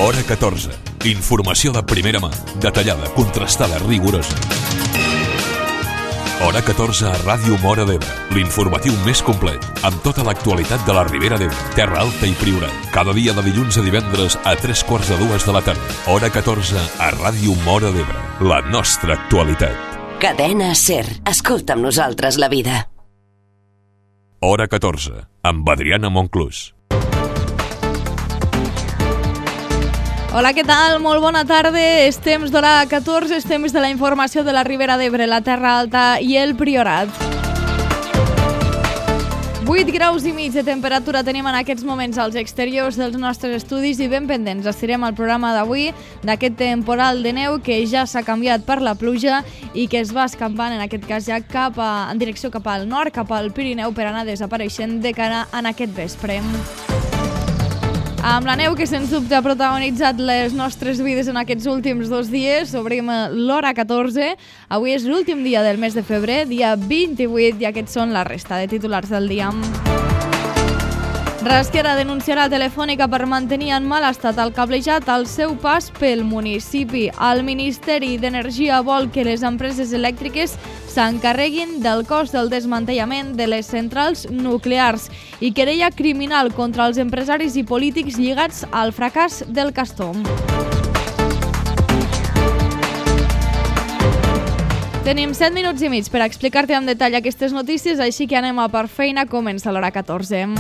Hora 14. Informació de primera mà, detallada, contrastada, rigorosa. Hora 14 a Ràdio Móra d'Ebre, l'informatiu més complet, amb tota l'actualitat de la Ribera d'Ebre, Terra Alta i Priorat. Cada dia de dilluns a divendres a 3:45 de la tarda. Hora 14 a Ràdio Móra d'Ebre, la nostra actualitat. Cadena SER. Escolta amb nosaltres la vida. Hora 14, amb Adriana Monclús. Hola, què tal? Molt bona tarda. És temps d'Hora 14, és temps de la informació de la Ribera d'Ebre, la Terra Alta i el Priorat. 8 graus i mig de temperatura tenim en aquests moments als exteriors dels nostres estudis i ben pendents estirem el programa d'avui d'aquest temporal de neu que ja s'ha canviat per la pluja i que es va escampant en aquest cas ja en direcció cap al nord, cap al Pirineu, per anar desapareixent de cara en aquest vespre. Amb la neu que sens dubte ha protagonitzat les nostres vides en aquests últims 2 dies, obrim l'Hora 14. Avui és l'últim dia del mes de febrer, dia 28, i aquests són la resta de titulars del dia. Rasquera denunciarà Telefònica per mantenir en mal estat el cablejat al seu pas pel municipi. El Ministeri d'Energia vol que les empreses elèctriques s'encarreguin del cost del desmantellament de les centrals nuclears i querella criminal contra els empresaris i polítics lligats al fracàs del Castor. Tenim 7 minuts i mig per explicar-te en detall aquestes notícies, així que anem a per feina. Comença l'Hora 14.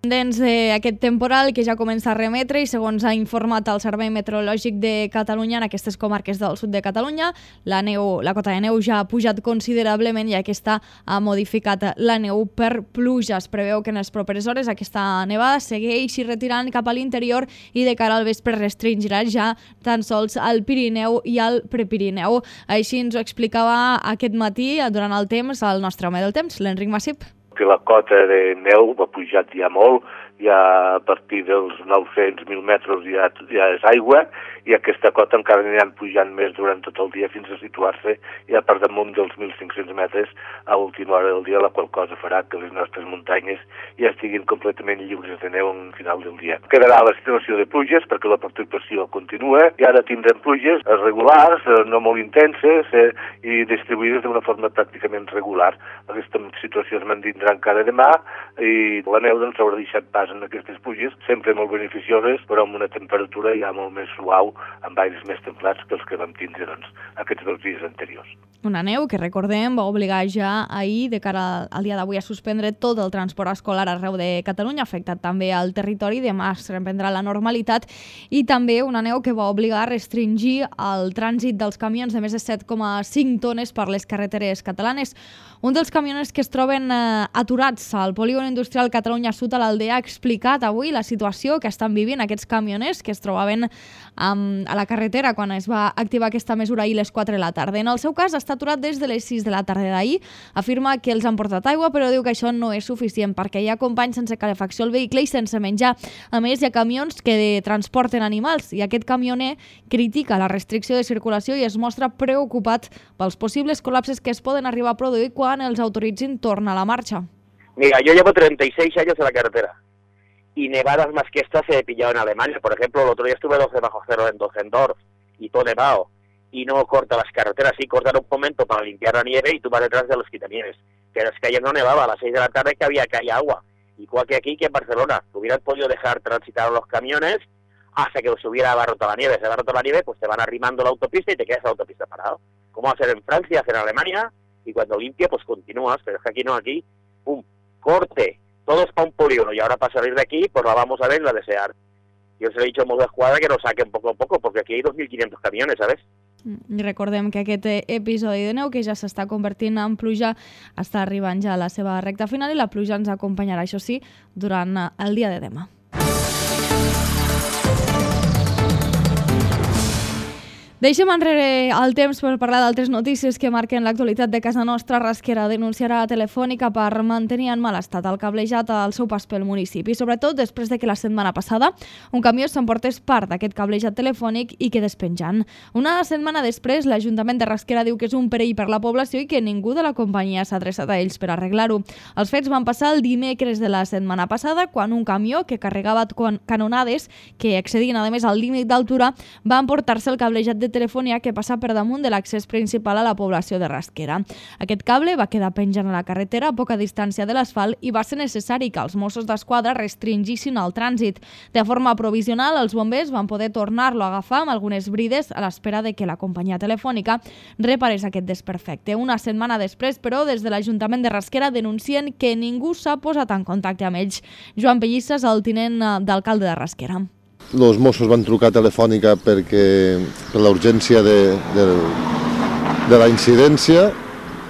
Pendents d'aquest temporal que ja comença a remetre i segons ha informat el Servei Meteorològic de Catalunya, en aquestes comarques del sud de Catalunya la cota de neu ja ha pujat considerablement i aquesta ha modificat la neu per pluja. Es preveu que en les properes hores aquesta nevada segueixi retirant cap a l'interior i de cara al vespre restringirà ja tan sols al Pirineu i al Prepirineu. Així ens ho explicava aquest matí durant el temps el nostre home del temps, l'Enric Massip. Que la cota de neu ha pujat ja molt, ja a partir dels 900.000 metres ja és aigua, i aquesta cota encara aniran pujant més durant tot el dia fins a situar-se ja per damunt dels 1.500 metres a última hora del dia, la qual cosa farà que les nostres muntanyes ja estiguin completament lliures de neu en final del dia. Quedarà la situació de pluges perquè la precipitació continua i ara tindrem pluges regulars, no molt intenses i distribuïdes d'una forma pràcticament regular. Aquesta situació es mantindrà encara demà i la neu doncs s'haurà deixat pas en aquestes pluges, sempre molt beneficioses, però amb una temperatura ja molt més suau, amb aires més templats que els que vam tindre aquests 2 dies anteriors. Una neu que, recordem, va obligar ja ahir, de cara al dia d'avui, a suspendre tot el transport escolar arreu de Catalunya, afectat també al territori. Demà es reprendrà la normalitat, i també una neu que va obligar a restringir el trànsit dels camions de més de 7,5 tones per les carreteres catalanes. Un dels camioners que es troben aturats al polígon industrial Catalunya Sud a l'Aldea ha explicat avui la situació que estan vivint aquests camioners que es trobaven a la carretera quan es va activar aquesta mesura ahir a les 4 de la tarda. En el seu cas està aturat des de les 6 de la tarda d'ahir. Afirma que els han portat aigua, però diu que això no és suficient perquè hi ha companys sense calefacció al vehicle i sense menjar. A més, hi ha camions que transporten animals i aquest camioner critica la restricció de circulació i es mostra preocupat pels possibles col·lapses que es poden arribar a produir quan els autoritzin tornar a la marcha. Mira, yo llevo 36 años en la carretera y nevadas más que estas he pillado en Alemania. Por ejemplo, el otro día estuve 12 bajo cero en Düsseldorf y todo nevado y no corta las carreteras, sí cortan un momento para limpiar la nieve y tú vas detrás de los quitanieves. Pero es que ayer no nevaba, a las 6 de la tarde que había agua, igual que aquí que en Barcelona. Hubieran podido dejar transitar los camiones hasta que se hubiera abarrotado la nieve. Se abarrota la nieve, pues te van arrimando la autopista y te quedas en la autopista parado. ¿Cómo va a ser en Francia, hacer en Alemania? Y cuando limpia, pues continúas, pero es que aquí no, aquí, ¡pum!, corte, todo es para un polígono, y ahora para salir de aquí, pues la vamos a ver y la desear. Yo os he dicho a Mossos d'Esquadra que nos saquen poco a poco, porque aquí hay 2.500 camiones, ¿sabes? Recordem que aquest episodi de neu, que ja s'està convertint en pluja, està arribant ja a la seva recta final i la pluja ens acompanyarà, això sí, durant el dia de demà. Deixem enrere el temps per parlar d'altres notícies que marquen l'actualitat de casa nostra. Rasquera denunciarà a Telefònica per mantenir en mal estat el cablejat al seu pas pel municipi, sobretot després de que la setmana passada un camió s'emportés part d'aquest cablejat telefònic i quedés penjant. Una setmana després, l'Ajuntament de Rasquera diu que és un perill per la població i que ningú de la companyia s'ha adreçat a ells per arreglar-ho. Els fets van passar el dimecres de la setmana passada, quan un camió que carregava canonades que excedien a més el límit d'altura va emportar-se el cablejat de telefonia que passa per damunt de l'accés principal a la població de Rasquera. Aquest cable va quedar penjant a la carretera a poca distància de l'asfalt i va ser necessari que els Mossos d'Esquadra restringissin el trànsit. De forma provisional, els bombers van poder tornar-lo a agafar amb algunes brides a l'espera de que la companyia telefònica reparés aquest desperfecte. Una setmana després, però, des de l'Ajuntament de Rasquera denuncien que ningú s'ha posat en contacte amb ells. Joan Pellissas, el tinent d'alcalde de Rasquera. Els Mossos van trucar a Telefònica per la urgència de la incidència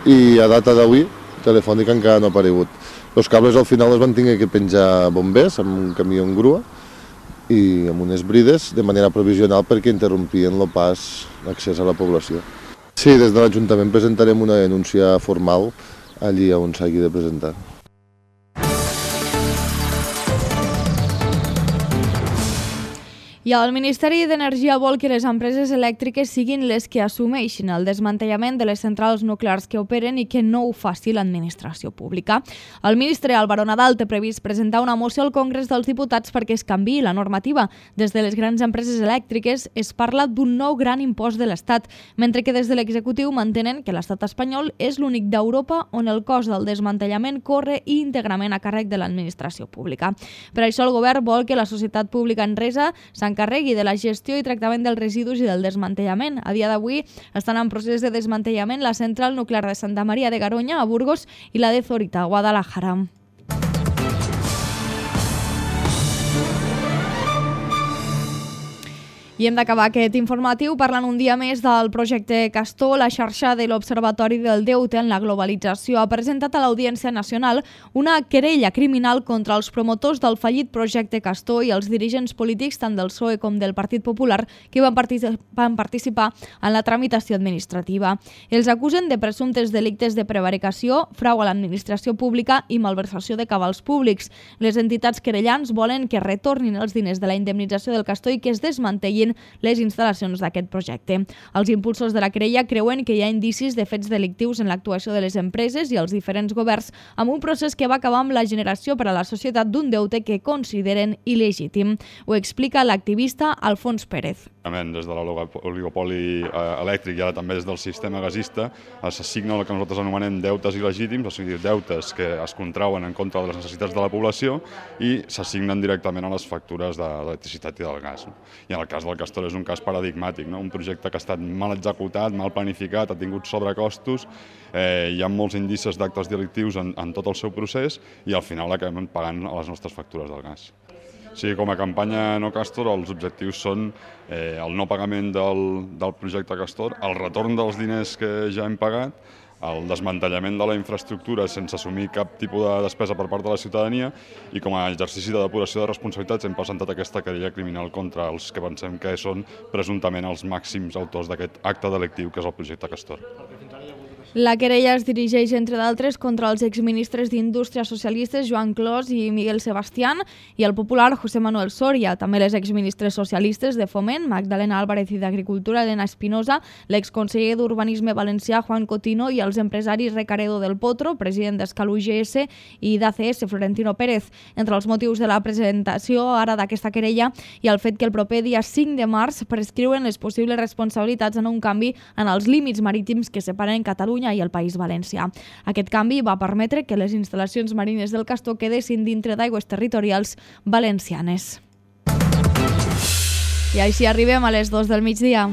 i a data d'avui Telefònica encara no ha aparegut. Els cables al final els van tenir que penjar bombers amb un camió en grua i amb unes brides de manera provisional perquè interrompien el pas l'accés a la població. Sí, des de l'Ajuntament presentarem una denúncia formal allí on s'hagi de presentar. I el Ministeri d'Energia vol que les empreses elèctriques siguin les que assumeixin el desmantellament de les centrals nuclears que operen i que no ho faci l'administració pública. El ministre Álvaro Nadal té previst presentar una moció al Congrés dels Diputats perquè es canviï la normativa. Des de les grans empreses elèctriques es parla d'un nou gran impost de l'Estat, mentre que des de l'executiu mantenen que l'Estat espanyol és l'únic d'Europa on el cost del desmantellament corre íntegrament a càrrec de l'administració pública. Per això el govern vol que la societat pública Enresa s'encarregui de la gestió i tractament dels residus i del desmantellament. A dia d'avui estan en procés de desmantellament la central nuclear de Santa Maria de Garoña, a Burgos, i la de Zorita, a Guadalajara. I hem d'acabar aquest informatiu parlant un dia més del projecte Castor. La xarxa de l'Observatori del Deute en la Globalització ha presentat a l'Audiència Nacional una querella criminal contra els promotors del fallit projecte Castor i els dirigents polítics tant del PSOE com del Partit Popular que van participar en la tramitació administrativa. Els acusen de presumptes delictes de prevaricació, frau a l'administració pública i malversació de cabals públics. Les entitats querellants volen que retornin els diners de la indemnització del Castor i que es desmantellin les instal·lacions d'aquest projecte. Els impulsors de la querella creuen que hi ha indicis de fets delictius en l'actuació de les empreses i els diferents governs amb un procés que va acabar amb la generació per a la societat d'un deute que consideren il·legítim. Ho explica l'activista Alfons Pérez. Des de l'oligopoli elèctric i ara també des del sistema gasista s'assigna el que nosaltres anomenem deutes il·legítims, o sigui, deutes que es contrauen en contra de les necessitats de la població i s'assignen directament a les factures d'electricitat i del gas. I en el cas del Castor és un cas paradigmàtic, un projecte que ha estat mal executat, mal planificat, ha tingut sobrecostos, hi ha molts indicis d'actes delictius en tot el seu procés i al final acabem pagant a les nostres factures del gas. Sí, com a campanya No Castor, els objectius són el no pagament del projecte Castor, el retorn dels diners que ja hem pagat, el desmantellament de la infraestructura sense assumir cap tipus de despesa per part de la ciutadania i com a exercici de depuració de responsabilitats hem presentat aquesta querella criminal contra els que pensem que són presumptament els màxims autors d'aquest acte delictiu que és el projecte Castor. La querella es dirigeix, entre d'altres, contra els exministres d'Indústria socialistes Joan Clos i Miguel Sebastián i el popular José Manuel Soria, també les exministres socialistes de Foment, Magdalena Álvarez, i d'Agricultura, Elena Espinosa, l'exconseller d'Urbanisme valencià Juan Cotino i els empresaris Recaredo del Potro, president d'Escal UGS, i d'ACS, Florentino Pérez. Entre els motius de la presentació ara d'aquesta querella hi ha el fet que el proper dia 5 de març prescriuen les possibles responsabilitats en un canvi en els límits marítims que separen Catalunya i el País Valencià. Aquest canvi va permetre que les instal·lacions marines del Castor quedessin dintre d'aigües territorials valencianes. I així arribem a les 2 del migdia.